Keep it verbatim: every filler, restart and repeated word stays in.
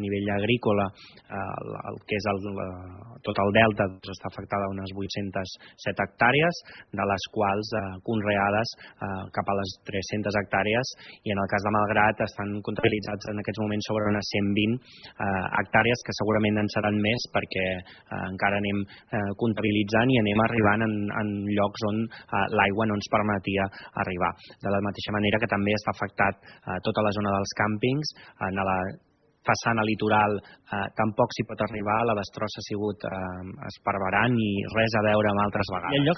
nivell agrícola, el que és tot el delta està afectada a unes vuit-centes set hectàrees, de les quals conreades cap a les tres-centes hectàrees, i en el cas de Malgrat estan comptabilitzats en aquests moments sobre unes cent vint hectàrees, que segurament en seran més perquè encara anem comptabilitzant i anem arribant en llocs on l'aigua no ens permetia arribar. De la mateixa manera que també està afectat tota la zona dels càmpings, en la façana litoral tampoc s'hi pot arribar, la destrossa ha sigut esparverant i res a veure amb altres vegades. Hi ha llocs